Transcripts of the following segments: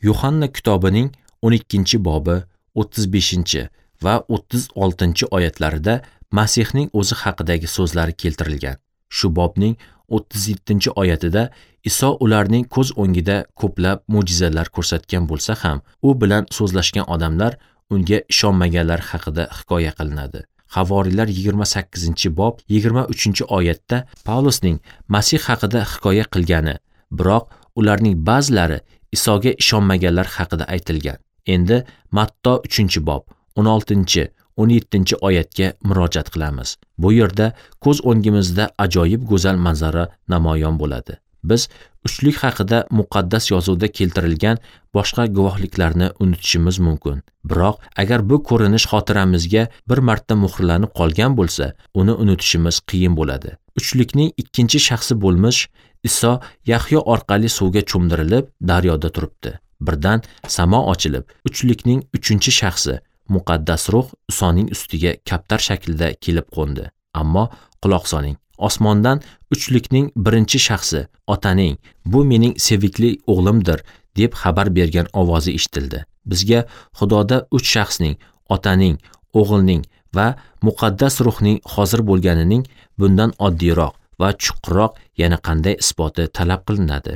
Yuhanna kitobining 12-bobi 35 va 36-oyatlarida Masihning o'zi haqidagi so'zlari keltirilgan. Shu bobning 37-oyatida Iso ularning ko'z o'ngida ko'plab mo'jizalar ko'rsatgan bo'lsa ham, u bilan so'zlashgan odamlar unga ishonmaganlar haqida hikoya qilinadi. Havoriylar 28-bob 23-oyatda Pavlusning Masih haqida hikoya qilgani, biroq ularning ba'zilari Isoga ishonmaganlar haqida aytilgan. Endi Matto 3-bob 16 17-oyatga murojaat qilamiz. Bu yerda ko'z o'ngimizda ajoyib go'zal manzara namoyon bo'ladi. Biz uchlik haqida muqaddas yozuvda keltirilgan boshqa guvohliklarni unutishimiz mumkin. Biroq agar bu ko'rinish xotiramizga bir marta muhrlanib qolgan bo'lsa, uni unutishimiz qiyin bo'ladi. Uchlikning ikkinchi shaxsi bo'lmish Iso Yahyo orqali suvga cho'mdirilib, daryoda turibdi. Birdan samo ochilib, uchlikning uchinchi shaxsi Muqaddas Ruh Isoning ustiga kaptar shaklida kelib qo'ndi. Ammo quloq soling. Osmondan uchlikning birinchi shaxsi Otaning "Bu mening sevikli o'g'limdir" deb xabar bergan ovozi eshitildi. Bizga Xudoda uch shaxsning, Otaning, O'g'ilning va Muqaddas Ruhning hozir bo'lganining bundan oddiyroq va chuqurroq yana qanday isboti talab qilinadi?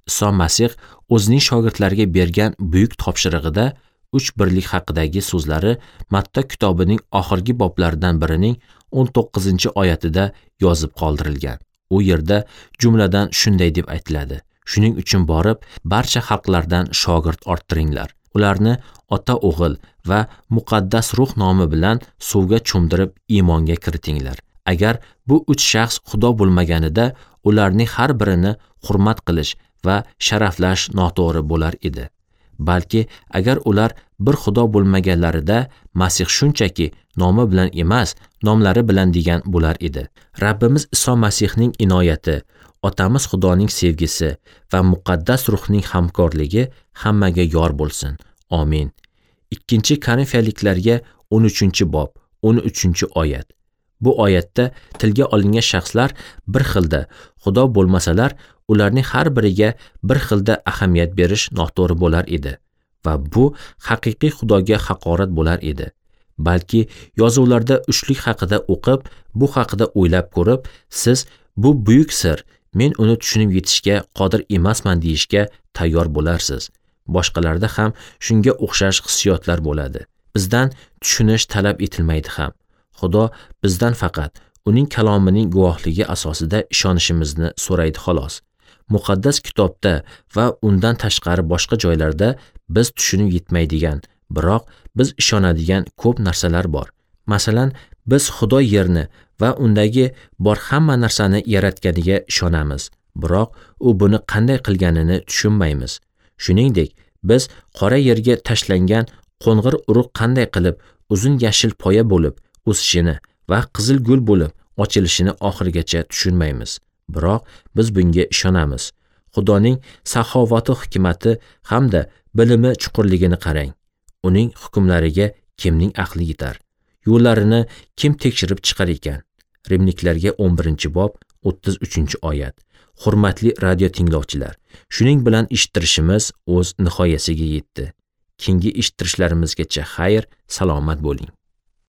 Iso Masih o'zining shogirdlariga bergan buyuk topshirig'ida uch birlik haqidagi so'zlari Matta kitobining oxirgi boblaridan birining 19-oyatida yozib qoldirilgan. U yerda jumladan shunday deb aytiladi: Shuning uchun borib, barcha xalqlardan shogird orttiringlar. Ularni Ota, O'g'il va Muqaddas Ruh nomi bilan suvga cho'mdirib iymonga kiritinglar. Agar bu uch shaxs Xudo bo'lmaganida, ularning har birini hurmat qilish va sharaflash noto'g'ri bo'lar edi. Balki agar ular bir Xudo bo'lmaganlarida, Masih shunchaki nomi bilan emas, nomlari bilan degan bo'lar edi. Rabbimiz Iso Masihning inoyati, Otamiz Xudoning sevgisi va Muqaddas Ruhning hamkorligi hammaga yor bo'lsin. Amin. 2-Korinfiyaliklarga 13-bob 13-oyat. Bu oyatda tilga olingan shaxslar bir xilda Xudo bo'lmasalar, ularning har biriga bir xilda ahamiyat berish noto'g'ri bo'lar edi va bu haqiqiy Xudoga haqorat bo'lar edi. Balki yozuvlarda uchlik haqida o'qib, bu haqida o'ylab ko'rib, siz bu buyuk sir, men uni tushunib yetishga qodir emasman deyishga tayyor bo'larsiz. Boshqalarda ham shunga o'xshash hissiyotlar bo'ladi. Bizdan tushunish talab etilmaydi ham. Xudo bizdan faqat uning kalomining guvohligi asosida ishonishimizni so'raydi xolos. Muqaddas kitobda va undan tashqari boshqa joylarda biz tushunib yetmaydigan, biroq biz ishonadigan ko'p narsalar bor. Masalan, biz Xudo yerni va undagi bor hamma narsani yaratganiga ishonamiz, biroq u buni qanday qilganini tushunmaymiz. Shuningdek, biz qora yerga tashlangan qo'ng'ir urug' qanday qilib uzun yashil poya bo'lib o'sishini va qizil gul bo'lib ochilishini oxirigacha tushunmaymiz. Biroq biz bunga ishonamiz. Xudoning saxovati, hikmati hamda bilimi chuqurligini qarang. Uning hukmlariga kimning aqli yetar? Yo'llarini kim tekshirib chiqar ekan? Rimliklarga 11-bob 33-oyat. Hurmatli radio tinglovchilar, shuning bilan eshittirishimiz o'z nihoyasiga yetdi. Keyingi eshittirishlarimizgacha xayr, salomat bo'ling.